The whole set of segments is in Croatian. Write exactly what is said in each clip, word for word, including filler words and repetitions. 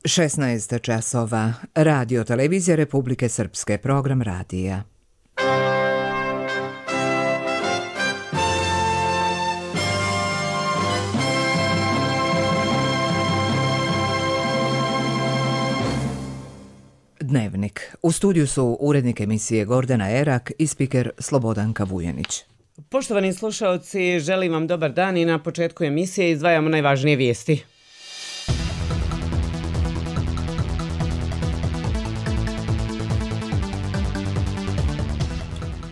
šesnaest časova. Radio televizija Republike Srpske, program radija. Dnevnik. U studiju su urednik emisije Gordana Erak i spiker Slobodanka Vujanić. Poštovani slušaoci, želim vam dobar dan i na početku emisije izdvajamo najvažnije vijesti.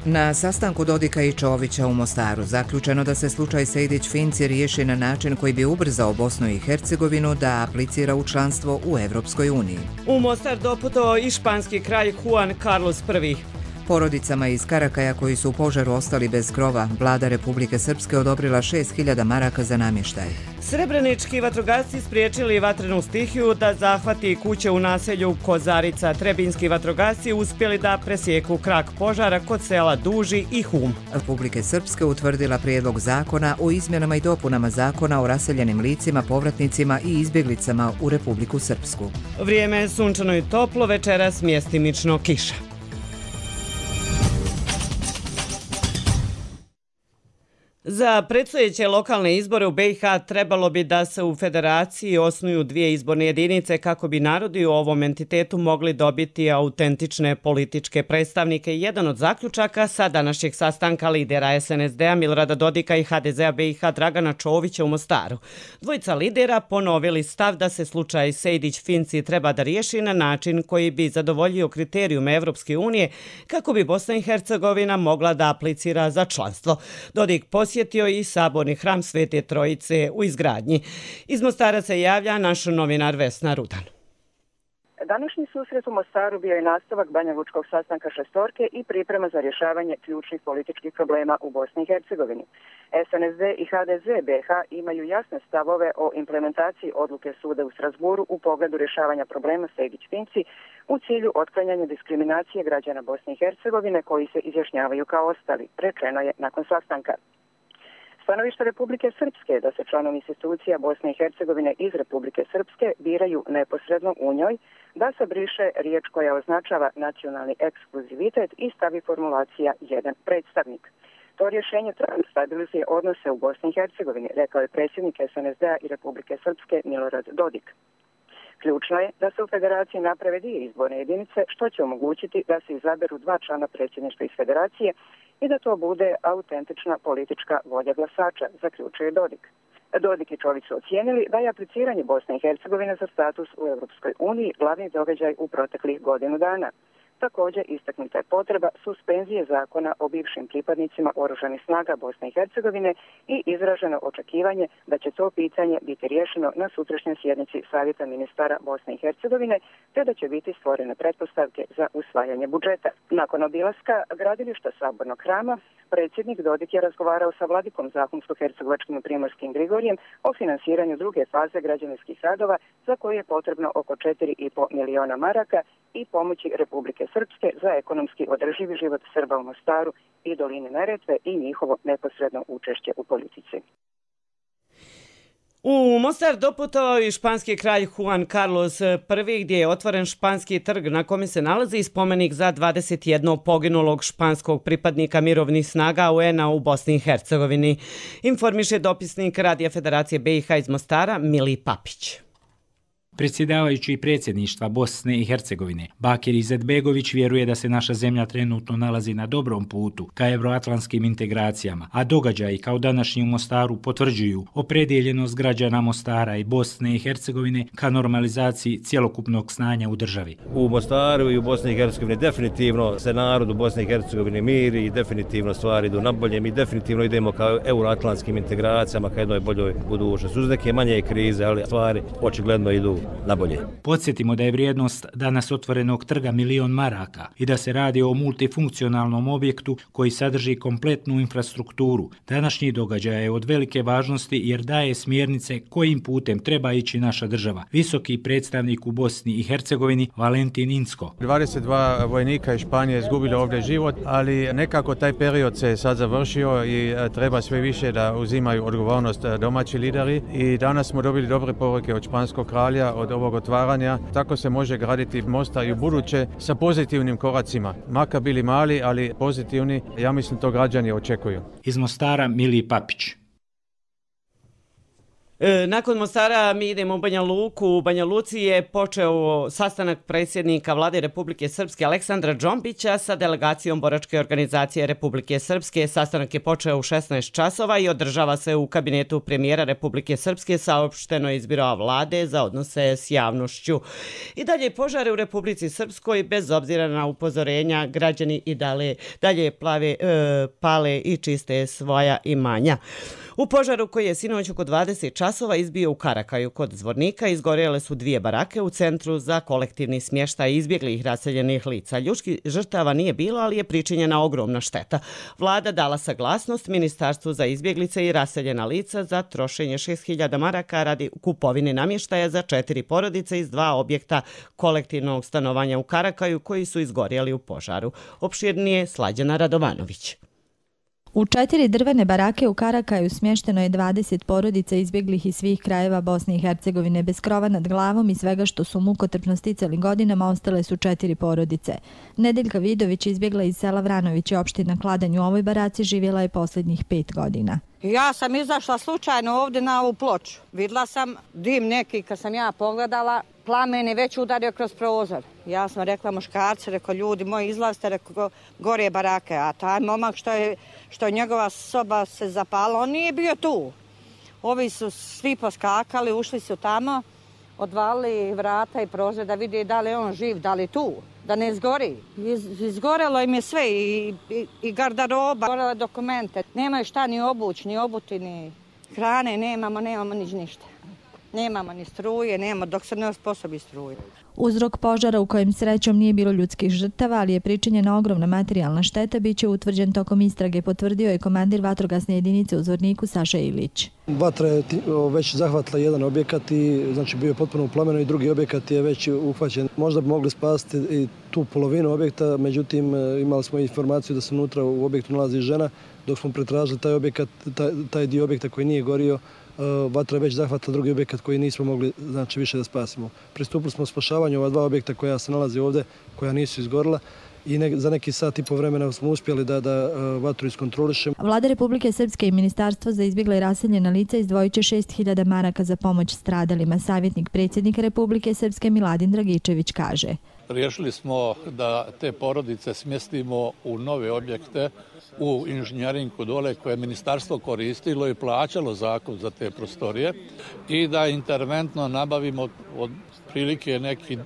Na sastanku Dodika i Čovića u Mostaru zaključeno da se slučaj Sejdić-Finci riješi na način koji bi ubrzao Bosnu i Hercegovinu da aplicira u članstvo u Evropskoj uniji. U Mostar doputovao i španski kralj Juan Carlos prvi. Porodicama iz Karakaja koji su u požaru ostali bez krova, vlada Republike Srpske odobrila šest hiljada maraka za namještaj. Srebrenički vatrogasci spriječili vatrenu stihiju da zahvati kuće u naselju Kozarica. Trebinski vatrogasci uspjeli da presjeku krak požara kod sela Duži i Hum. Republike Srpske utvrdila prijedlog zakona o izmjenama i dopunama zakona o raseljenim licima, povratnicima i izbjeglicama u Republiku Srpsku. Vrijeme je sunčano i toplo, večeras mjestimično kiša. Za predstojeće lokalne izbore u be i ha trebalo bi da se u federaciji osnuju dvije izborne jedinice kako bi narodi u ovom entitetu mogli dobiti autentične političke predstavnike. Jedan od zaključaka sa današnjeg sastanka lidera es en es de a Milorada Dodika i ha de zea be i ha Dragana Čovića u Mostaru. Dvojica lidera ponovili stav da se slučaj Sejdić-Finci treba da riješi na način koji bi zadovoljio kriterijume Evropske unije kako bi Bosna i Hercegovina mogla da aplicira za članstvo. Dodik posjetio i saborni hram Svete Trojice u izgradnji. Iz Mostara se javlja naš novinar Vesna Rudan. Današnji susret u Mostaru bio je nastavak banjalučkog sastanka šestorke i priprema za rješavanje ključnih političkih problema u Bosni i Hercegovini. es en es de i ha de ze be i ha imaju jasne stavove o implementaciji odluke suda u Strasburu u pogledu rješavanja problema Sejdić-Finci u cilju otklanjanja diskriminacije građana Bosne i Hercegovine koji se izjašnjavaju kao ostali, rečeno je nakon sastanka. Stanovište Republike Srpske da se članovi institucija Bosne i Hercegovine iz Republike Srpske biraju neposredno u njoj, da se briše riječ koja označava nacionalni ekskluzivitet i stavi formulacija jedan predstavnik. To rješenje trajno stabilizuje odnose u Bosni i Hercegovini, rekao je predsjednik es en es de a i Republike Srpske Milorad Dodik. Ključno je da se u federaciji naprave dvije izborne jedinice, što će omogućiti da se izaberu dva člana predsjedništva iz federacije i da to bude autentična politička volja glasača, zaključuje Dodik. Dodik i Čović su ocijenili da je apliciranje Bosne i Hercegovine za status u Europskoj uniji glavni događaj u proteklih godinu dana. Također istaknuta je potreba suspenzije zakona o bivšim pripadnicima oružanih snaga Bosne i Hercegovine i izraženo očekivanje da će to pitanje biti riješeno na sutrašnjoj sjednici Savjeta ministara Bosne i Hercegovine, te da će biti stvorene pretpostavke za usvajanje budžeta. Nakon obilaska gradilišta Sabornog hrama, predsjednik Dodik je razgovarao sa vladikom Zahumsko-hercegovačkim Primorskim Grigorijem o finansiranju druge faze građevinskih radova za koje je potrebno oko četiri i po miliona maraka i pomoći Republike Srpske za ekonomski održivi život Srba u Mostaru i doline Neretve i njihovo neposredno učešće u politici. U Mostar doputovao i španski kralj Juan Carlos prvi gdje je otvoren španski trg na kome se nalazi spomenik za dvadeset jednog poginulog španskog pripadnika mirovnih snaga u en a u Bosni i Hercegovini. Informiše dopisnik Radija Federacije be i ha iz Mostara Mili Papić. Predsjedavajući predsjedništva Bosne i Hercegovine, Bakir Izetbegović vjeruje da se naša zemlja trenutno nalazi na dobrom putu ka evroatlantskim integracijama, a događaji kao današnji u Mostaru potvrđuju opredjeljenost građana Mostara i Bosne i Hercegovine ka normalizaciji cjelokupnog stanja u državi. U Mostaru i u Bosni i Hercegovini definitivno se narod u Bosni i Hercegovini miri i definitivno stvari idu na bolje. Mi definitivno idemo ka euroatlantskim integracijama, ka jednoj boljoj budućnosti. Uz neke manje krize, ali stvari očigledno idu na bolje. Podsjetimo da je vrijednost danas otvorenog trga milion maraka i da se radi o multifunkcionalnom objektu koji sadrži kompletnu infrastrukturu. Današnji događaj je od velike važnosti jer daje smjernice kojim putem treba ići naša država. Visoki predstavnik u Bosni i Hercegovini Valentin Incko. dvadeset dva vojnika iz Španije izgubilo ovdje život, ali nekako taj period se sad završio i treba sve više da uzimaju odgovornost domaći lideri i danas smo dobili dobre poruke od španskog kralja od ovog otvaranja. Tako se može graditi mosta i u buduće sa pozitivnim koracima. Makar bili mali, ali pozitivni, ja mislim to građani očekuju. Iz Mostara Mili Papić. E, nakon Mostara mi idemo u Banja Luku. U Banja Luci je počeo sastanak predsjednika Vlade Republike Srpske Aleksandra Džombića sa delegacijom Boračke organizacije Republike Srpske. Sastanak je počeo u šesnaest časova i održava se u kabinetu premijera Republike Srpske, saopšteno iz biroa Vlade za odnose s javnošću. I dalje požare u Republici Srpskoj, bez obzira na upozorenja, građani i dalje, dalje plave, e, pale i čiste svoja imanja. U požaru koji je sinoć oko dvadeset časova izbio u Karakaju kod Zvornika, izgorjele su dvije barake u centru za kolektivni smještaj izbjeglih raseljenih lica. Ljudskih žrtava nije bilo, ali je pričinjena ogromna šteta. Vlada dala saglasnost Ministarstvu za izbjeglice i raseljena lica za trošenje šest hiljada maraka radi kupovine namještaja za četiri porodice iz dva objekta kolektivnog stanovanja u Karakaju koji su izgorjeli u požaru. Opširnije Slađana Radovanović. U četiri drvene barake u Karakaju smješteno je dvadeset porodica izbjeglih iz svih krajeva Bosne i Hercegovine. Bez krova nad glavom i svega što su mukotrpno sticali godinama ostale su četiri porodice. Nedeljka Vidović izbjegla iz sela Vranović i opština Kladanj. U ovoj baraci živjela je posljednjih pet godina. Ja sam izašla slučajno ovdje na ovu ploču. Vidjela sam dim neki, kad sam ja pogledala, plamen je već udario kroz prozor. Ja sam rekla muškarci, rekao ljudi moji izlazite, rekao gore barake, a taj momak što je, što je njegova soba se zapala, on nije bio tu. Ovi su svi poskakali, ušli su tamo, odvalili vrata i prozor da vidi da li je on živ, da li je tu, da ne izgori. Iz, izgorelo im je sve i, i, i gardaroba, gorele dokumente. Nemaju šta ni obući, ni obuti, ni hrane, nemamo, nemamo nič ništa. Nemamo ni struje, nemamo dok se ne osposobi struje. Uzrok požara u kojem srećom nije bilo ljudskih žrtava, ali je pričinjena ogromna materijalna šteta, bit će utvrđen tokom istrage, potvrdio je komandir vatrogasne jedinice u Zvorniku Saša Ilić. Vatra je već zahvatila jedan objekat i znači bio je potpuno u plamenu i drugi objekat je već uhvaćen. Možda bi mogli spasiti i tu polovinu objekta, međutim imali smo informaciju da se unutra u objektu nalazi žena. Dok smo pretražili taj objekat, taj, taj dio objekta koji nije gorio, vatra je već zahvatila drugi objekat koji nismo mogli znači, više da spasimo. Pristupili smo spašavanju ova dva objekta koja se nalazi ovdje, koja nisu izgorila i ne, za neki sat i po vremena smo uspjeli da, da vatru iskontrolišemo. Vlada Republike Srpske i Ministarstvo za izbjegla i raseljena lica izdvojit će šest hiljada maraka za pomoć stradalima. Savjetnik predsjednika Republike Srpske Miladin Dragičević kaže. Riješili smo da te porodice smjestimo u nove objekte u inženjerinku dole koje je ministarstvo koristilo i plaćalo zakup za te prostorije i da interventno nabavimo od prilike neki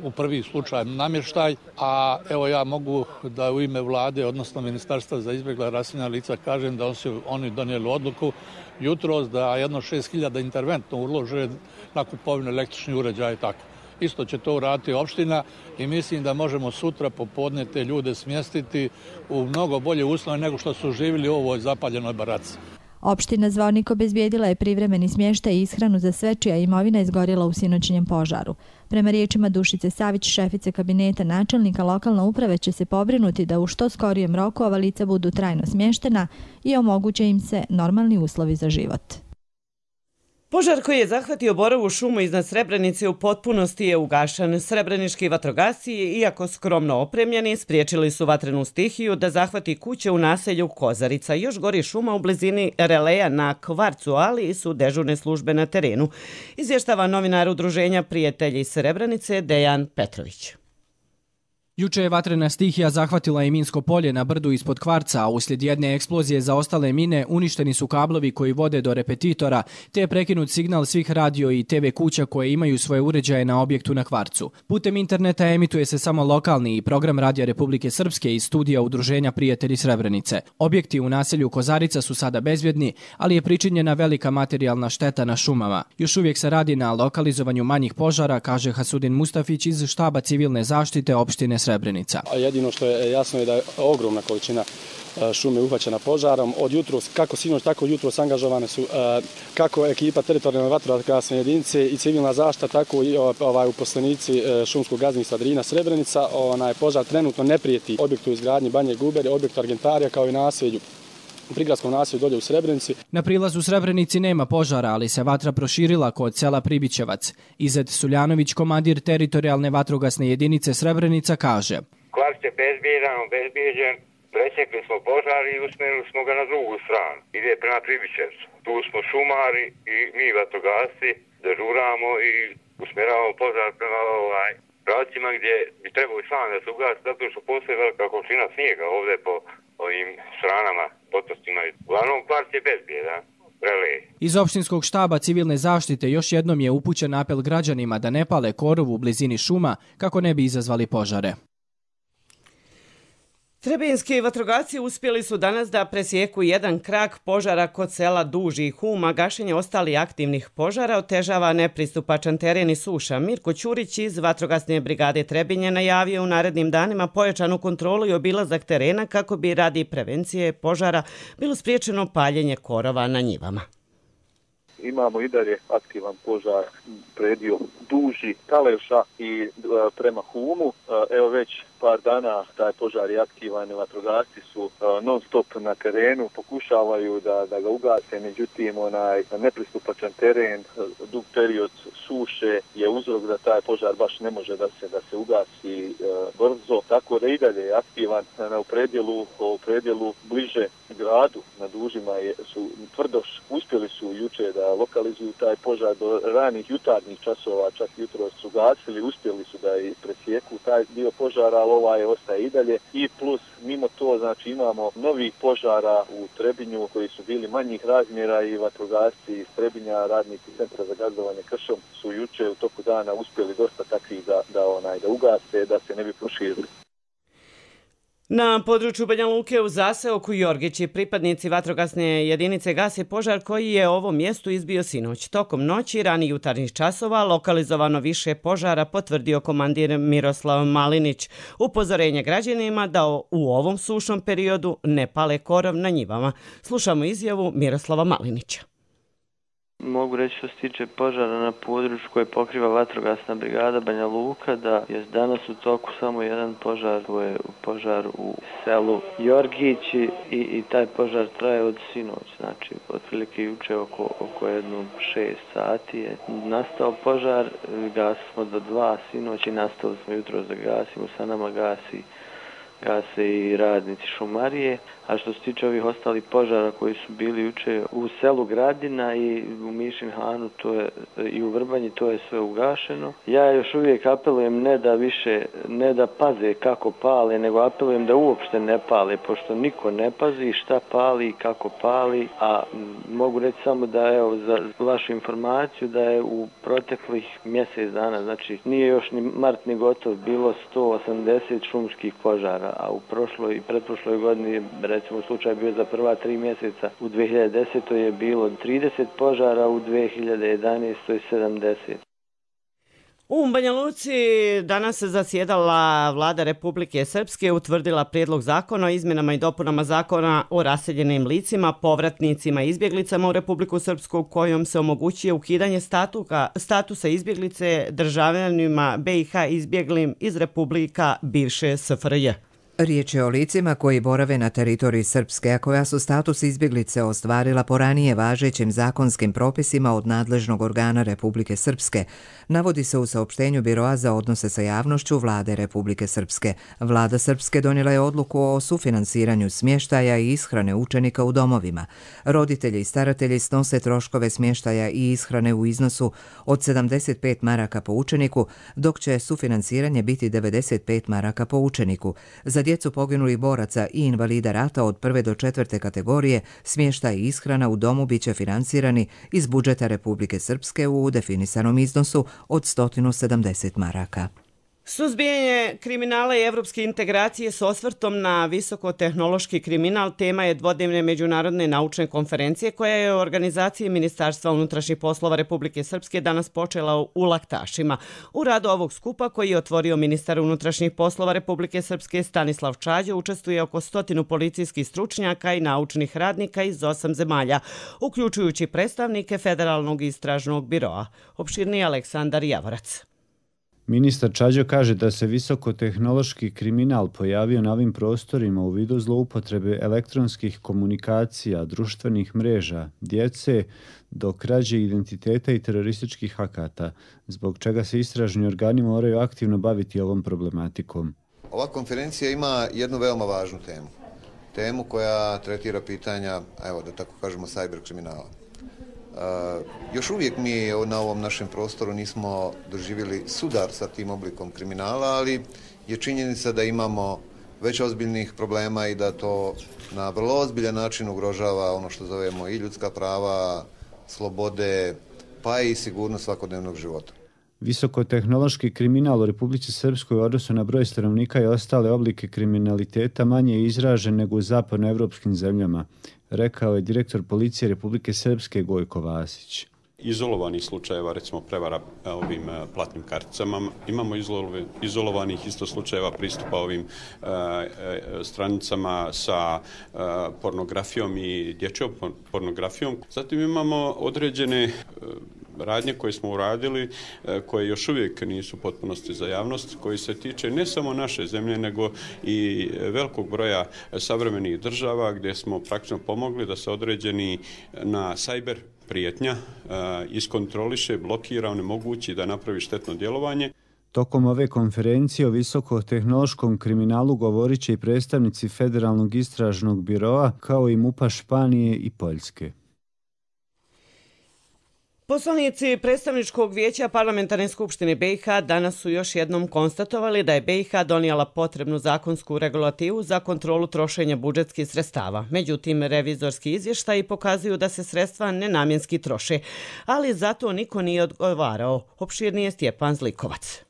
u prvi slučaj namještaj, a evo ja mogu da u ime vlade, odnosno Ministarstva za izbjegla i raseljena lica kažem da su oni donijeli odluku jutros da jedno šest hiljada interventno ulože na kupovinu električnih uređaja i tako. Isto će to uraditi opština i mislim da možemo sutra popodne te ljude smjestiti u mnogo bolje uslove nego što su živjeli u ovoj zapaljenoj baraci. Opština Zvornik obezbijedila je privremeni smještaj i ishranu za sve čija imovina izgorjela u sinoćnjem požaru. Prema riječima Dušice Savić, šefice kabineta načelnika, lokalna uprava će se pobrinuti da u što skorijem roku ova lica budu trajno smještena i omoguće im se normalni uslovi za život. Požar koji je zahvatio Borovu šumu iznad Srebrenice u potpunosti je ugašen. Srebrenički vatrogasci, iako skromno opremljeni, spriječili su vatrenu stihiju da zahvati kuće u naselju Kozarica. Još gori šuma u blizini releja na Kvarcu, ali su dežurne službe na terenu. Izvještava novinar udruženja Prijatelji Srebrenice Dejan Petrović. Juče je vatrena stihija zahvatila i minsko polje na brdu ispod Kvarca, a uslijed jedne eksplozije za ostale mine uništeni su kablovi koji vode do repetitora, te je prekinut signal svih radio i te ve kuća koje imaju svoje uređaje na objektu na Kvarcu. Putem interneta emituje se samo lokalni program Radija Republike Srpske iz studija udruženja Prijatelji Srebrenice. Objekti u naselju Kozarica su sada bezbjedni, ali je pričinjena velika materijalna šteta na šumama. Još uvijek se radi na lokalizovanju manjih požara, kaže Hasudin Mustafić iz štaba civilne zaštite opštine Srebrenica. A jedino što je jasno je da je ogromna količina šume uhvaćena požarom. Od jutros, kako sinoć, tako jutros angažovane su kako ekipa teritorijalne vatrogasne jedinice i civilna zaštita, tako i ovaj, uposlenici šumskog gazdinstva Drina Srebrenica. Onaj požar trenutno ne prijeti objektu izgradnje Banje Gubere, objektu Argentarija kao i naselju prigradskom naselju dolje u Srebrenici. Na prilazu u Srebrenici nema požara, ali se vatra proširila kod sela Pribićevac. Izet Suljanović, komandir teritorijalne vatrogasne jedinice Srebrenica, kaže: Kvart je bezbjedan, bezbjeđen, presjekli smo požar i usmjerili smo ga na drugu stranu. Ide prema Pribićevcu. Tu smo šumari i mi vatrogasci dežuramo i usmjeravamo požar prema ovaj pravcima gdje bi trebalo i sam da se ugasi, zato što postoji velika količina snijega ovdje po ovim stranama, potostima. Uglavnom, kvart je bezbjedan. Iz opštinskog štaba civilne zaštite još jednom je upućen apel građanima da ne pale korov u blizini šuma kako ne bi izazvali požare. Trebinski vatrogasci uspjeli su danas da presjeku jedan krak požara kod sela Duži i Huma. Gašenje ostali aktivnih požara otežava nepristupačan teren i suša. Mirko Ćurić iz vatrogasne brigade Trebinje najavio u narednim danima pojačanu kontrolu i obilazak terena kako bi radi prevencije požara bilo spriječeno paljenje korova na njivama. Imamo i dalje aktivan požar predio Duži, Kaleša i e, prema Humu. E, evo već par dana taj požar je aktivan, vatrogasci su e, non stop na terenu, pokušavaju da, da ga ugase, međutim onaj nepristupačan teren, dug period suše je uzrok da taj požar baš ne može da se da se ugasi e, brzo, tako da i dalje je aktivan na u predjelu, u predjelu bliže gradu na Dužima je, su tvrdoš uspjeli su juče da lokalizuju taj požar do ranih jutarnjih časova, čak jutro su gasili, uspjeli su da i presjeku taj dio požara, ali ovaj ostaje i dalje. I plus, mimo to, znači imamo novih požara u Trebinju koji su bili manjih razmjera i vatrogasci iz Trebinja, radnici Centra za gazdovanje kršom su juče u toku dana uspjeli dosta takvih da, da, onaj, da ugase, da se ne bi proširili. Na području Banja Luke u zaseoku Jorgići pripadnici vatrogasne jedinice gase požar koji je ovom mjestu izbio sinoć. Tokom noći, rani jutarnjih časova, lokalizovano više požara, potvrdio komandir Miroslav Malinić. Upozorenje građanima da u ovom sušnom periodu ne pale korov na njivama. Slušamo izjavu Miroslava Malinića. Mogu reći što se tiče požara na području koje pokriva vatrogasna brigada Banja Luka, da je danas u toku samo jedan požar, to je požar u selu Jorgići i, i taj požar traje od sinoć, znači otprilike juče oko, oko jedno šest sati je nastao požar, gasili smo do dva sinoć i nastavili smo jutro da gasimo, sa nama gasi gase i radnici šumarije, a što se tiče ovih ostalih požara koji su bili juče u selu Gradina i u Mišinhanu to je, i u Vrbanji, to je sve ugašeno. Ja još uvijek apelujem ne da više, ne da paze kako pale, nego apelujem da uopšte ne pale, pošto niko ne pazi šta pali i kako pali, a mogu reći samo da, evo, za vašu informaciju, da je u proteklih mjesec dana, znači nije još ni mart ni gotov, bilo sto osamdeset šumskih požara, a u prošloj i pretprošloj godini, recimo slučaj bio za prva tri mjeseca, u dvije hiljade desetoj je bilo trideset požara, u dvije hiljade jedanaestoj sedamdeset. U Banja Luci danas se zasjedala Vlada Republike Srpske, utvrdila prijedlog zakona o izmjenama i dopunama zakona o raseljenim licima, povratnicima i izbjeglicama u Republiku Srpsku, kojom se omogućuje ukidanje statuka, statusa izbjeglice državljanima B i H izbjeglim iz Republika bivše S F R J. Riječ je o licima koji borave na teritoriji Srpske, a koja su status izbjeglice ostvarila po ranije važećim zakonskim propisima od nadležnog organa Republike Srpske, navodi se u saopštenju Biroa za odnose sa javnošću Vlade Republike Srpske. Vlada Srpske donijela je odluku o sufinansiranju smještaja i ishrane učenika u domovima. Roditelji i staratelji snose troškove smještaja i ishrane u iznosu od sedamdeset pet maraka po učeniku, dok će sufinansiranje biti devedeset pet maraka po učeniku. Za djecu poginulih boraca i invalida rata od prve do četvrte kategorije smještaj i ishrana u domu biće finansirani iz budžeta Republike Srpske u definisanom iznosu od sto sedamdeset maraka. Suzbijanje kriminala i evropske integracije s osvrtom na visokotehnološki kriminal tema je dvodnevne međunarodne naučne konferencije koja je u organizaciji Ministarstva unutrašnjih poslova Republike Srpske danas počela u Laktašima. U radu ovog skupa koji je otvorio ministar unutrašnjih poslova Republike Srpske Stanislav Čađa učestvuje oko stotinu policijskih stručnjaka i naučnih radnika iz osam zemalja, uključujući predstavnike Federalnog istražnog biroa. Opširniji Aleksandar Javorac. Ministar Čađo kaže da se visokotehnološki kriminal pojavio na ovim prostorima u vidu zloupotrebe elektronskih komunikacija, društvenih mreža, djece, do krađe identiteta i terorističkih akata, zbog čega se istražni organi moraju aktivno baviti ovom problematikom. Ova konferencija ima jednu veoma važnu temu. Temu koja tretira pitanja, evo da tako kažemo, cyber kriminala. Uh, još uvijek mi na ovom našem prostoru nismo doživjeli sudar sa tim oblikom kriminala, ali je činjenica da imamo već ozbiljnih problema i da to na vrlo ozbiljan način ugrožava ono što zovemo i ljudska prava, slobode, pa i sigurnost svakodnevnog života. Visokotehnološki kriminal u Republici Srpskoj u odnosu na broj stanovnika i ostale oblike kriminaliteta manje je izražen nego u zapadnoevropskim zemljama, rekao je direktor policije Republike Srpske Gojko Vasić. Izolovanih slučajeva, recimo prevara ovim platnim karticama, imamo izolovanih isto slučajeva pristupa ovim e, e, stranicama sa e, pornografijom i dječjom pornografijom. Zatim imamo određene e, radnje koje smo uradili, e, koje još uvijek nisu potpunosti za javnost, koji se tiče ne samo naše zemlje, nego i velikog broja savremenih država gdje smo praktično pomogli da se određeni na cyber prijetnja uh, iskontroliše, blokira, onemogući da napravi štetno djelovanje. Tokom ove konferencije o visokotehnološkom kriminalu govorit će i predstavnici Federalnog istražnog biroa, kao i MUP-a Španije i Poljske. Poslanici Predstavničkog vijeća Parlamentarne skupštine B i H danas su još jednom konstatovali da je B i H donijela potrebnu zakonsku regulativu za kontrolu trošenja budžetskih sredstava. Međutim, revizorski izvještaji pokazuju da se sredstva nenamjenski troše, ali zato niko nije odgovarao. Opširnije Stjepan Zlikovac.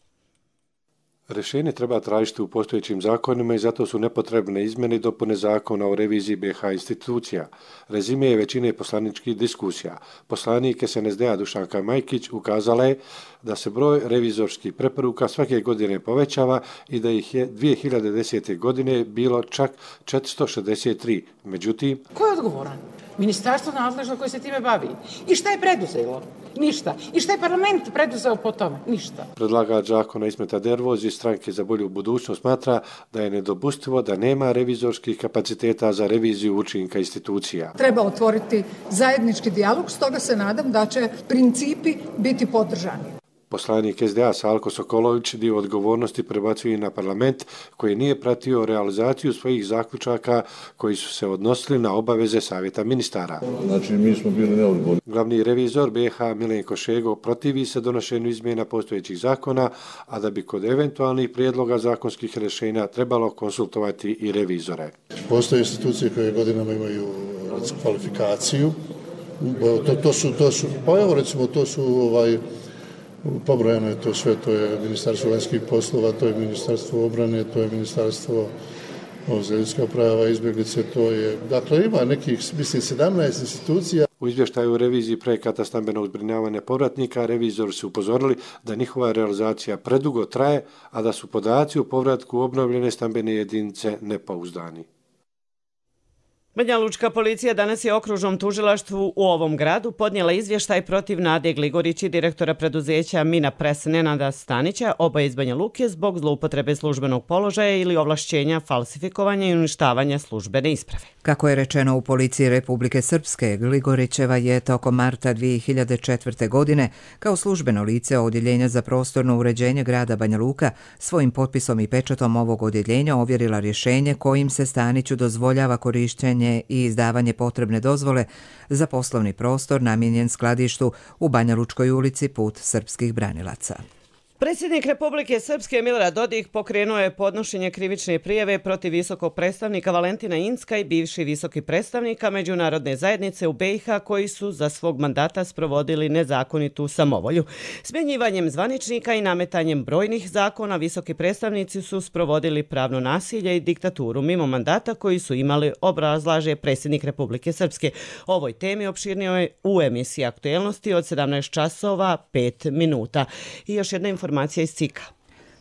Rješenje treba tražiti u postojećim zakonima i zato su nepotrebne izmjene i dopune zakona o reviziji B i H institucija. Rezime je većine poslaničkih diskusija. Poslanik S N S D-a Dušanka Majkić ukazala je da se broj revizorskih preporuka svake godine povećava i da ih je dvije hiljade desete. godine bilo čak četiristo šezdeset tri. Međutim, ko je odgovoran? Ministarstvo nadležno koje se time bavi. I šta je preduzelo? Ništa. I šta je parlament preduzeo po tome? Ništa. Predlagač zakona Ismeta Dervoz iz Stranke za bolju budućnost smatra da je nedopustivo da nema revizorskih kapaciteta za reviziju učinka institucija. Treba otvoriti zajednički dijalog, stoga se nadam da će principi biti podržani. Poslanik S D A Salko Sokolović dio odgovornosti prebacuje na parlament koji nije pratio realizaciju svojih zaključaka koji su se odnosili na obaveze savjeta ministara. Znači, mi smo bili neodgovorni. Glavni revizor B i H Milenko Šego protivi se donošenju izmjena postojećih zakona, a da bi kod eventualnih prijedloga zakonskih rješenja trebalo konsultovati i revizore. Postoje institucije koje godinama imaju kvalifikaciju. To, to su, to su, pa evo recimo, to su ovaj, pobrojano je to sve, to je Ministarstvo vanjskih poslova, to je Ministarstvo obrane, to je Ministarstvo za ljudska prava, izbjeglice, to je, dakle ima nekih, mislim, sedamnaest institucija. U izvještaju o reviziji projekata stambenog zbrinjavanja povratnika revizori su upozorili da njihova realizacija predugo traje, a da su podaci o povratku obnovljene stambene jedinice nepouzdani. Banja Lučka policija danas je okružnom tužilaštvu u ovom gradu podnijela izvještaj protiv Nade Gligorić i direktora preduzeća Mina Pres Nenada Stanića, oba iz Banja Luke, zbog zloupotrebe službenog položaja ili ovlašćenja, falsifikovanja i uništavanja službene isprave. Kako je rečeno u policiji Republike Srpske, Gligorićeva je tokom marta dvije hiljade četvrte. godine kao službeno lice Odjeljenja za prostorno uređenje grada Banja Luka svojim potpisom i pečatom ovog odjeljenja ovjerila rješenje kojim se Staniću dozvoljava korištenje i izdavanje potrebne dozvole za poslovni prostor namijenjen skladištu u Banja Lučkoj ulici Put srpskih branilaca. Predsjednik Republike Srpske Milorad Dodik pokrenuo je podnošenje krivične prijave protiv visokog predstavnika Valentina Incka i bivši visoki predstavnika međunarodne zajednice u B i H koji su za svog mandata sprovodili nezakonitu samovolju. Smjenjivanjem zvaničnika i nametanjem brojnih zakona visoki predstavnici su sprovodili pravno nasilje i diktaturu mimo mandata koji su imali, obrazlaže predsjednik Republike Srpske. Ovoj temi opširnio je u emisiji Aktuelnosti od sedamnaest časova pet minuta. I još jedna informacija iz C I K-a.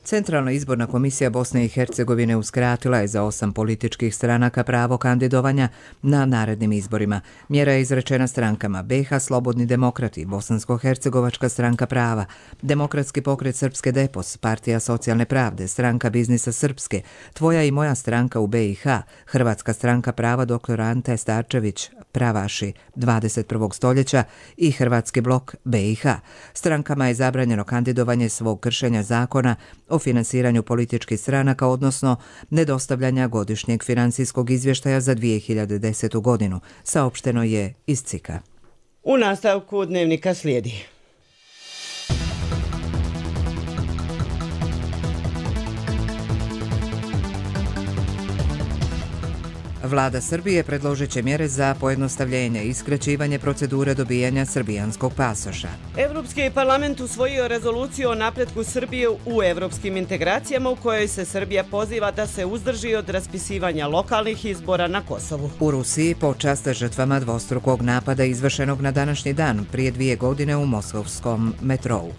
Centralna izborna komisija Bosne i Hercegovine uskratila je za osam političkih stranaka pravo kandidovanja na narednim izborima. Mjera je izrečena strankama B H Slobodni demokrati, Bosansko-hercegovačka stranka prava, Demokratski pokret Srpske Depos, Partija socijalne pravde, Stranka biznisa Srpske, Tvoja i moja stranka u B i H, Hrvatska stranka prava dr. Ante Starčević, Pravaši dvadeset prvog stoljeća i Hrvatski blok B i H. Strankama je zabranjeno kandidovanje svog kršenja zakona o finansiranju političkih stranaka, odnosno nedostavljanja godišnjeg financijskog izvještaja za dvije hiljade desetu godinu, saopšteno je iz C I K-a. U nastavku dnevnika slijedi. Vlada Srbije predložit će mjere za pojednostavljenje i skraćivanje procedure dobijanja srbijanskog pasoša. Evropski parlament usvojio rezoluciju o napretku Srbije u evropskim integracijama u kojoj se Srbija poziva da se uzdrži od raspisivanja lokalnih izbora na Kosovu. U Rusiji počast žrtvama dvostrukog napada izvršenog na današnji dan prije dvije godine u moskovskom metrou.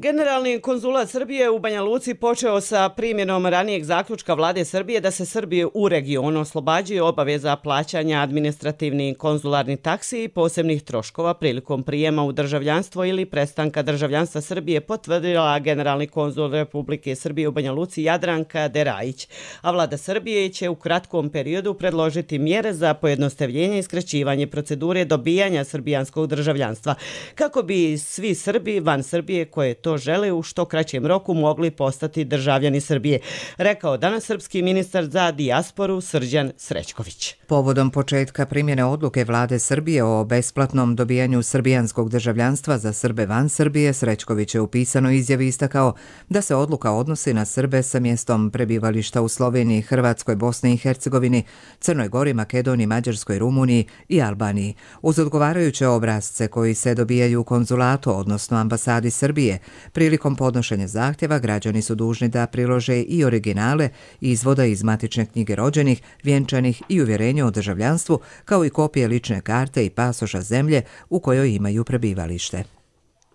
Generalni konzulat Srbije u Banja Luci počeo sa primjenom ranijeg zaključka vlade Srbije da se Srbije u regionu oslobađaju obaveza plaćanja administrativnih konzularnih taksi i posebnih troškova prilikom prijema u državljanstvo ili prestanka državljanstva Srbije, potvrdila generalni konzul Republike Srbije u Banja Luci Jadranka Derajić. A vlada Srbije će u kratkom periodu predložiti mjere za pojednostavljenje i skraćivanje procedure dobijanja srbijanskog državljanstva, kako bi svi Srbi van Srbije koje to žele u što kraćem roku mogli postati državljani Srbije, rekao danas srpski ministar za dijasporu Srđan Srećković. Povodom početka primjene odluke vlade Srbije o besplatnom dobijanju srbijanskog državljanstva za Srbe van Srbije, Srećković je u pisanoj izjavi istakao da se odluka odnosi na Srbe sa mjestom prebivališta u Sloveniji, Hrvatskoj, Bosni i Hercegovini, Crnoj Gori, Makedoniji, Mađarskoj, Rumuniji i Albaniji. Uz odgovarajuće obrazce koji se dobijaju u konzulatu, odnosno ambasadi Srbije, prilikom podnošenja zahtjeva građani su dužni da prilože i originale izvoda iz matične knjige rođenih, vjenčanih i uvjerenja o državljanstvu, kao i kopije lične karte i pasoša zemlje u kojoj imaju prebivalište.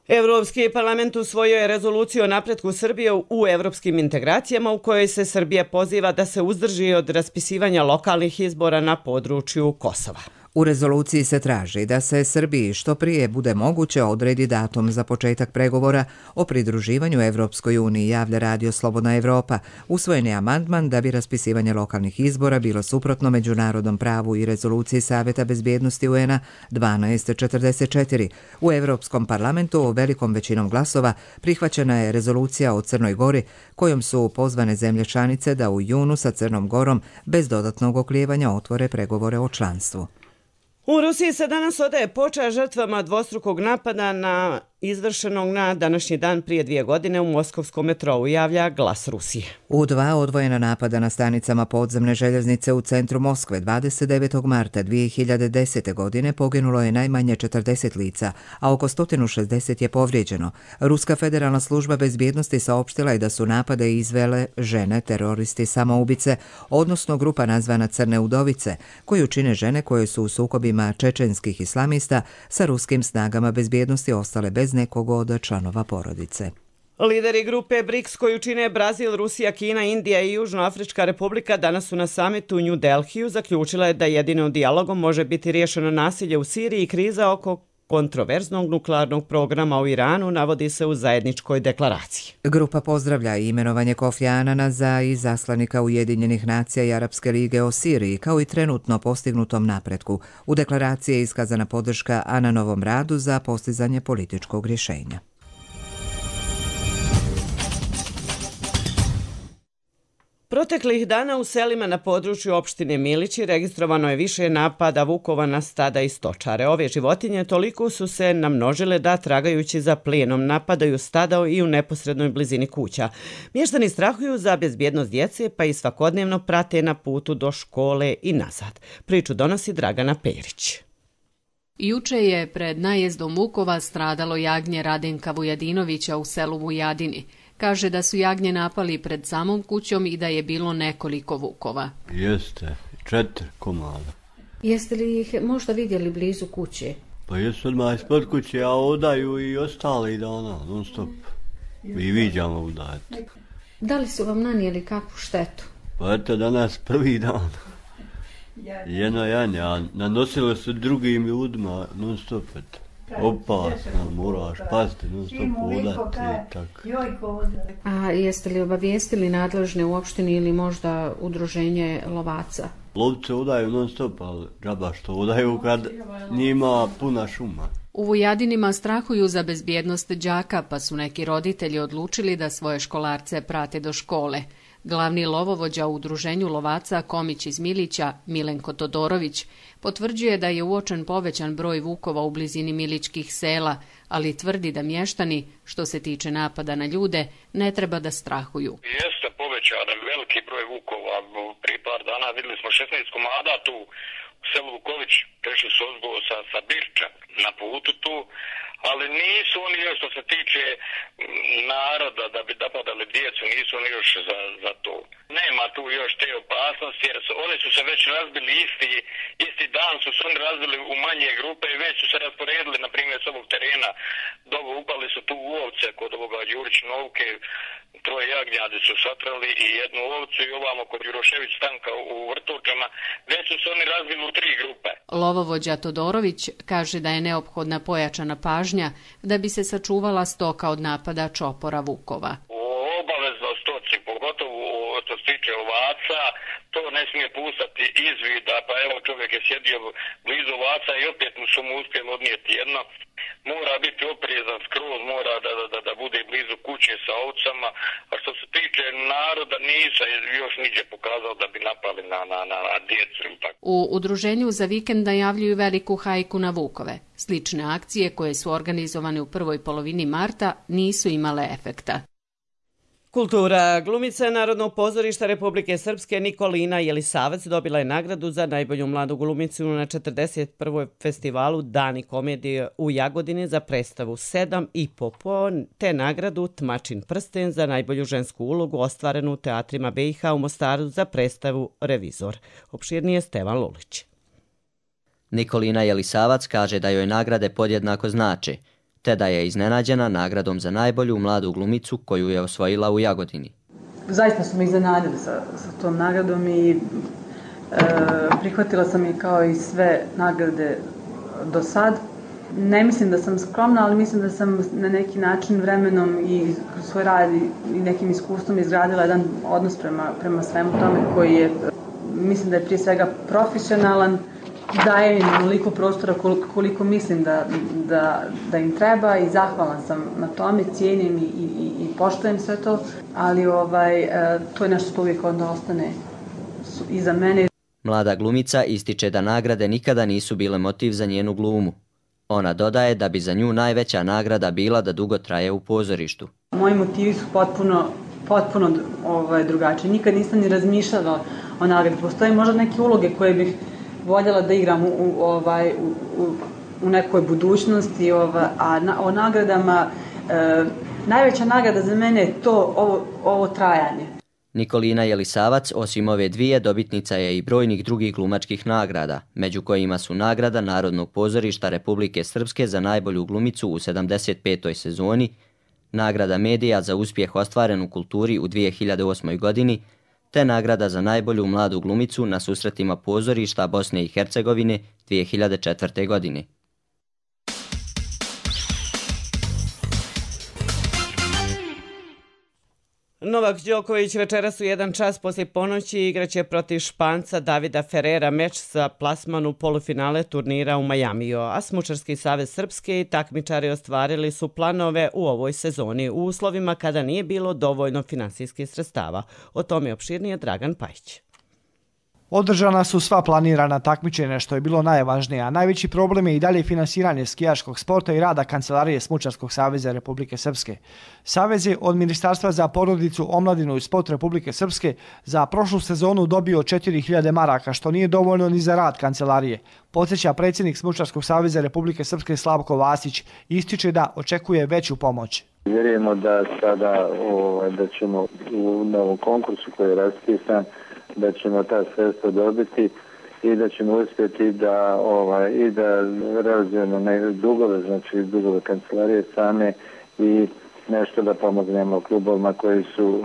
Evropski parlament usvojio je rezoluciju o napretku Srbije u evropskim integracijama u kojoj se Srbija poziva da se uzdrži od raspisivanja lokalnih izbora na području Kosova. U rezoluciji se traži da se Srbiji što prije bude moguće odredi datum za početak pregovora o pridruživanju Evropskoj uniji, javlja Radio Slobodna Evropa. Usvojen je amandman da bi raspisivanje lokalnih izbora bilo suprotno međunarodnom pravu i rezoluciji Savjeta bezbjednosti U N A dvanaest četrdeset četiri. U Evropskom parlamentu velikom većinom glasova prihvaćena je rezolucija o Crnoj Gori, kojom su pozvane zemlje članice da u junu sa Crnom Gorom bez dodatnog oklijevanja otvore pregovore o članstvu. U Rusiji se danas odaje počast žrtvama dvostrukog napada na izvršenog na današnji dan prije dvije godine u moskovskom metrou, javlja Glas Rusije. U dva odvojena napada na stanicama podzemne željeznice u centru Moskve dvadeset devetog marta dvije hiljade desete. godine poginulo je najmanje četrdeset lica, a oko sto šezdeset je povrijeđeno. Ruska federalna služba bezbjednosti saopštila je da su napade izvele žene, teroristi samoubice, odnosno grupa nazvana Crne udovice, koju čine žene koje su u sukobima čečenskih islamista sa ruskim snagama bezbjednosti ostale bez nekog od članova porodice. Lideri grupe BRICS koju čine Brazil, Rusija, Kina, Indija i Južnoafrička republika danas su na samitu u New Delhiju zaključile da jedino dijalogom može biti riješeno nasilje u Siriji i kriza oko kontroverznog nuklearnog programa u Iranu, navodi se u zajedničkoj deklaraciji. Grupa pozdravlja imenovanje Kofi Anana za izaslanika Ujedinjenih nacija i Arapske lige o Siriji, kao i trenutno postignutom napretku. U deklaraciji je iskazana podrška Ananovom radu za postizanje političkog rješenja. Proteklih dana u selima na području opštine Milići registrovano je više napada vukova na stada i stočare. Ove životinje toliko su se namnožile da tragajući za plijenom napadaju stada i u neposrednoj blizini kuća. Mještani strahuju za bezbjednost djece pa i svakodnevno prate na putu do škole i nazad. Priču donosi Dragana Perić. Juče je pred najezdom vukova stradalo jagnje Radenka Vujadinovića u selu Vujadini. Kaže da su jagnje napali pred samom kućom i da je bilo nekoliko vukova. Jeste, četiri komada. Jeste li ih možda vidjeli blizu kuće? Pa jesu odmah ispod kuće, a odaju i ostali dana, non stop. Mi viđamo udajati. Da li su vam nanijeli kakvu štetu? Pa eto danas prvi dan. Jedno janje, a nanosilo se drugim ljudima non stop. Opasno, moraš pasti non stop udati i tako. A jeste li obavijestili nadležne u opštini ili možda udruženje lovaca? Lovce udaju non stop, ali džaba što udaju kad njima puna šuma. U Vujadinima strahuju za bezbjednost đaka, pa su neki roditelji odlučili da svoje školarce prate do škole. Glavni lovovođa u udruženju lovaca Komić iz Milića, Milenko Todorović, potvrđuje da je uočen povećan broj vukova u blizini milićkih sela, ali tvrdi da mještani, što se tiče napada na ljude, ne treba da strahuju. Jeste povećan veliki broj vukova. Prije par dana vidjeli smo šesnaest komada tu u selu Vuković, prešli su ozgo sa, sa Birča na putu tu, ali nisu oni još što se tiče naroda da bi napadali djecu, nisu oni još za, za to. Nema tu još te opasnosti jer su, oni su se već razbili isti, isti dan su se oni razbili u manje grupe i već su se rasporedili, na primjer s ovog terena, dogo upali su tu u ovce kod ovoga Đurić Novke, troje jagnjadi su satrali i jednu ovcu i ovamo kod Jurošević Stanka u Vrtovčama, već su se oni razbili u tri grupe. Lovovođa Todorović kaže da je neophodna pojačana pažnja da bi se sačuvala stoka od napada čopora vukova. Obavezno stoci, pogotovo što se tiče ovaca, to ne smije pustati izvida, pa evo čovjek je sjedio blizu ovaca i opet mu su mu uspjeli odnijeti jedno. Mora biti oprezan skroz, mora da, da, da bude blizu kuće sa ovcama, a što se tiče naroda nisam još niđe pokazao da bi napali na, na, na, na djecu. U udruženju za vikend najavljuju veliku hajku na vukove. Slične akcije koje su organizovane u prvoj polovini marta nisu imale efekta. Kultura. Glumica Narodnog pozorišta Republike Srpske Nikolina Jelisavac dobila je nagradu za najbolju mladu glumicu na četrdeset prvom festivalu Dani komedije u Jagodini za predstavu sedam i po po, te nagradu Tmačin prsten za najbolju žensku ulogu ostvarenu u teatrima B i H u Mostaru za predstavu Revizor. Opširnije Stevan Lulić. Nikolina Jelisavac kaže da joj nagrade podjednako znače, te da je iznenađena nagradom za najbolju mladu glumicu koju je osvojila u Jagodini. Zaista su me iznenadili sa, sa tom nagradom i e, prihvatila sam je kao i sve nagrade do sad. Ne mislim da sam skromna, ali mislim da sam na neki način vremenom i kroz svoj rad i nekim iskustvom izgradila jedan odnos prema, prema svemu tome koji je, mislim da je prije svega profesionalan, daje im onoliko prostora koliko, koliko mislim da, da, da im treba i zahvalan sam na tome, cijenim i, i, i poštujem sve to, ali ovaj, to je nešto što uvijek onda ostane iza mene. Mlada glumica ističe da nagrade nikada nisu bile motiv za njenu glumu. Ona dodaje da bi za nju najveća nagrada bila da dugo traje u pozorištu. Moji motivi su potpuno, potpuno ovaj, drugačiji. Nikad nisam ni razmišljala o nagradi. Postoje možda neke uloge koje bih voljela da igram u, u, ovaj, u, u, u nekoj budućnosti, ovaj, a na, o nagradama, e, najveća nagrada za mene je to ovo, ovo trajanje. Nikolina Jelisavac, osim ove dvije, dobitnica je i brojnih drugih glumačkih nagrada, među kojima su nagrada Narodnog pozorišta Republike Srpske za najbolju glumicu u sedamdeset petoj sezoni, nagrada Medija za uspjeh ostvaren u kulturi u dvije hiljade osmoj godini, te nagrada za najbolju mladu glumicu na susretima pozorišta Bosne i Hercegovine dvije hiljade četvrte. godine. Novak Đoković večeras u jedan čas poslije ponoći igraće protiv Španca Davida Ferrera meč za plasman u polufinale turnira u Majamiju, a Smučarski savez Srpske i takmičari ostvarili su planove u ovoj sezoni u uslovima kada nije bilo dovoljno finansijskih sredstava. O tome je opširnije Dragan Pajić. Održana su sva planirana takmičenja što je bilo najvažnije, a najveći problem je i dalje finansiranje skijaškog sporta i rada Kancelarije Smučarskog saveza Republike Srpske. Savez je od Ministarstva za porodicu, omladinu i sport Republike Srpske za prošlu sezonu dobio četiri hiljade maraka, što nije dovoljno ni za rad Kancelarije. Podsjeća predsjednik Smučarskog saveza Republike Srpske Slavko Vasić, ističe da očekuje veću pomoć. Vjerujemo da sada o, da ćemo u novom konkursu koji je raspisan da ćemo ta sredstva dobiti i da ćemo uspjeti da ovaj, i da realizujemo neke dugove, znači dugove kancelarije same i nešto da pomognemo klubovima koji su,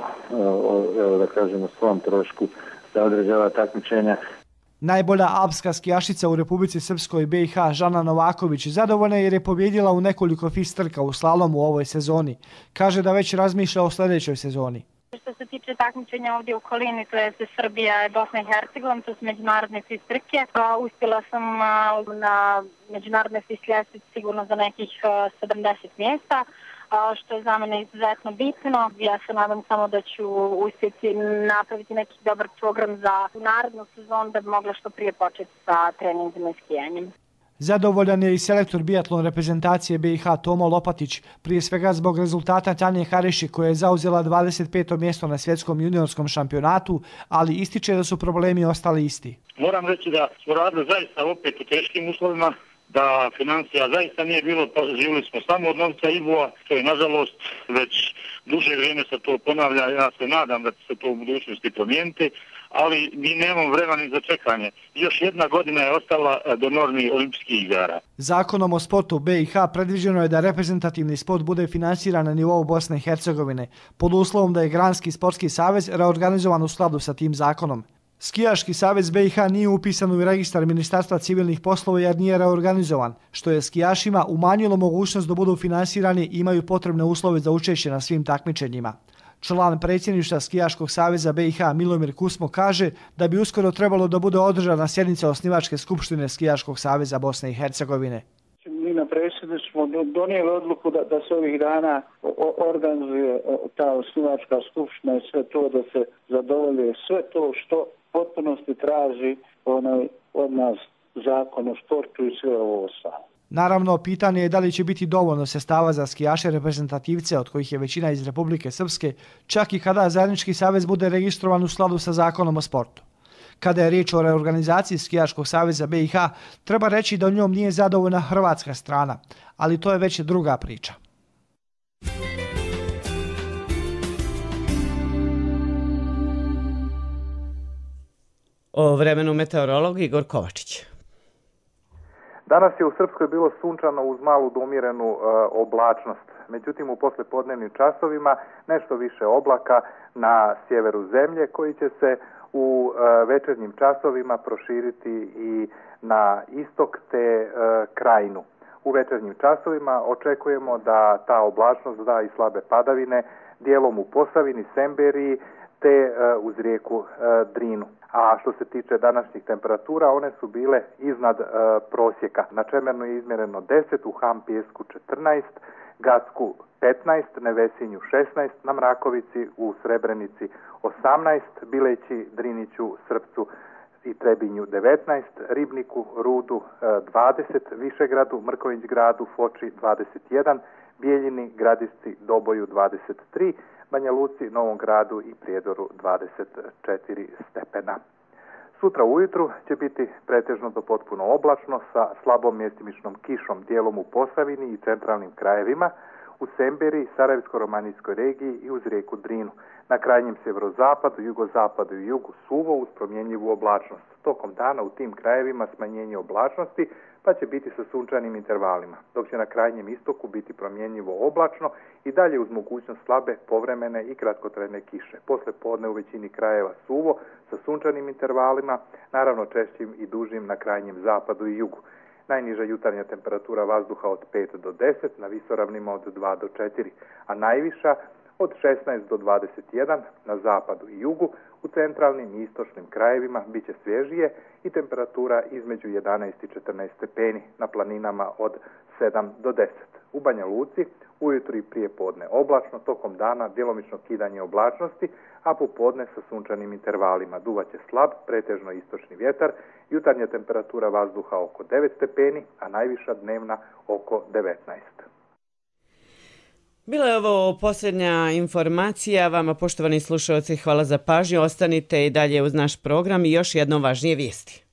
evo da kažemo, svom trošku da određava takmičenja. Najbolja alpska skijašica u Republici Srpskoj B i H Žana Novaković zadovoljna jer je pobjedila u nekoliko F I S trka u slalomu u ovoj sezoni. Kaže da već razmišlja o sljedećoj sezoni. Što se tiče takmičenja ovdje u okolini, to je Srbija i Bosna i Hercegovina, to su međunarodne F I S trke. Uspjela sam na međunarodne F I S ljestvici sigurno za nekih sedamdeset mjesta, što je za mene izuzetno bitno. Ja se nadam samo da ću uspjeti napraviti neki dobar program za narednu sezonu da bi mogla što prije početi sa treningima i skijanjem. Zadovoljan je i selektor biatlon reprezentacije B i H Tomo Lopatić, prije svega zbog rezultata Tanje Hariši koja je zauzela dvadeset peto mjesto na svjetskom juniorskom šampionatu, ali ističe da su problemi ostali isti. Moram reći da smo radili zaista opet u teškim uslovima, da financija zaista nije bilo, pa živjeli smo samo od novca I B O-a, što je nažalost već duže vrijeme se to ponavlja, ja se nadam da će se to u budućnosti promijeniti, ali mi nemamo vremena za čekanje. Još jedna godina je ostala do normi olimpijskih igara. Zakonom o sportu B i H predviđeno je da reprezentativni sport bude finansiran na nivou Bosne i Hercegovine, pod uslovom da je Granski sportski savez reorganizovan u skladu sa tim zakonom. Skijaški savez B i H nije upisan u registar Ministarstva civilnih poslova jer nije reorganizovan, što je skijašima umanjilo mogućnost da budu finansirani i imaju potrebne uslove za učešće na svim takmičenjima. Član predsjedništva Skijaškog saveza B i H Milomir Kusmo kaže da bi uskoro trebalo da bude održana sjednica osnivačke skupštine Skijaškog saveza Bosne i Hercegovine. Mi na predsjedništvu smo donijeli odluku da, da se ovih dana organizuje ta osnivačka skupština i sve to da se zadovolje sve to što potpunosti traži onaj od nas zakon o sportu i sve ovo ostalo. Naravno, pitanje je da li će biti dovoljno sredstava za skijaše reprezentativce, od kojih je većina iz Republike Srpske, čak i kada zajednički savez bude registrovan u skladu sa zakonom o sportu. Kada je riječ o reorganizaciji Skijaškog saveza B i H, treba reći da u njom nije zadovoljna hrvatska strana, ali to je već druga priča. O vremenu meteorolog Igor Kovačić. Danas je u Srpskoj bilo sunčano uz malu do umjerenu e, oblačnost. Međutim, u poslijepodnevnim časovima nešto više oblaka na sjeveru zemlje koji će se u e, večernjim časovima proširiti i na istok te e, krajinu. U večernjim časovima očekujemo da ta oblačnost da i slabe padavine dijelom u Posavini, Semberiji te e, uz rijeku e, Drinu. A što se tiče današnjih temperatura, one su bile iznad e, prosjeka. Na Čemernu je izmjereno deset, u Hampijesku četrnaest, Gacku petnaest, Nevesinju šesnaest, na Mrakovici, u Srebrenici osamnaest, Bileći, Driniću, Srpcu i Trebinju devetnaest, Ribniku, Rudu dvadeset, Višegradu, Mrković gradu, Foči dvadeset jedan, Bijeljini, Gradišci, Doboju dvadeset tri, Banja Luci, Novom gradu i Prijedoru dvadeset četiri stepena. Sutra ujutru će biti pretežno do potpuno oblačno sa slabom mjestimičnom kišom dijelom u Posavini i centralnim krajevima, u Semberi, Sarajevsko-romanijskoj regiji i uz rijeku Drinu. Na krajnjem sjeverozapadu, jugozapadu i jugu suvo uz promjenjivu oblačnost. Tokom dana u tim krajevima smanjenje oblačnosti pa će biti sa sunčanim intervalima, dok će na krajnjem istoku biti promjenjivo oblačno i dalje uz mogućnost slabe, povremene i kratkotrajne kiše. Posle podne u većini krajeva suvo sa sunčanim intervalima, naravno češćim i dužim na krajnjem zapadu i jugu. Najniža jutarnja temperatura vazduha od pet do deset, na visoravnima od dva do četiri, a najviša od šesnaest do dvadeset jedan na zapadu i jugu, u centralnim i istočnim krajevima bit će svježije i temperatura između jedanaest i četrnaest stepeni, na planinama od sedam do deset. U Banja Luci ujutro i prije podne oblačno, tokom dana djelomično kidanje oblačnosti, a popodne sa sunčanim intervalima. Duvaće slab, pretežno istočni vjetar, jutarnja temperatura vazduha oko devet stepeni, a najviša dnevna oko devetnaest. Bila je ovo posljednja informacija. Vama, poštovani slušalci, hvala za pažnju. Ostanite i dalje uz naš program i još jedno važnije vijesti.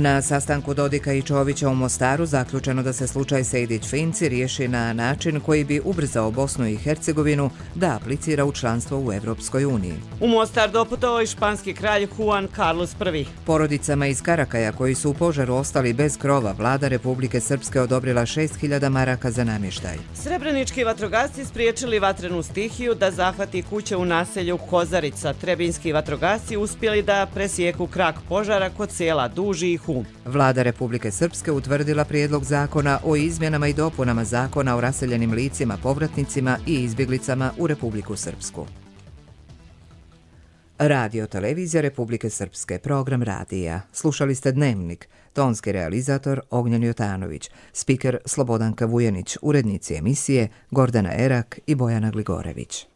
Na sastanku Dodika i Čovića u Mostaru zaključeno da se slučaj Sejdić-Finci riješi na način koji bi ubrzao Bosnu i Hercegovinu da aplicira u članstvo u Evropskoj uniji. U Mostar doputovao i španski kralj Juan Carlos prvi. Porodicama iz Karakaja koji su u požaru ostali bez krova, vlada Republike Srpske odobrila šest hiljada maraka za namještaj. Srebrenički vatrogasci spriječili vatrenu stihiju da zahvati kuće u naselju Kozarica. Trebinski vatrogasci uspjeli da presijeku krak požara kod sela Duži i Hum. Vlada Republike Srpske utvrdila prijedlog zakona o izmjenama i dopunama zakona o raseljenim licima, povratnicima i izbjeglicama u Republiku Srpsku. Radio televizija Republike Srpske, program radija. Slušali ste Dnevnik, tonski realizator Ognjen Jotanović, spiker Slobodanka Vujanić, urednici emisije Gordana Erak i Bojana Gligorević.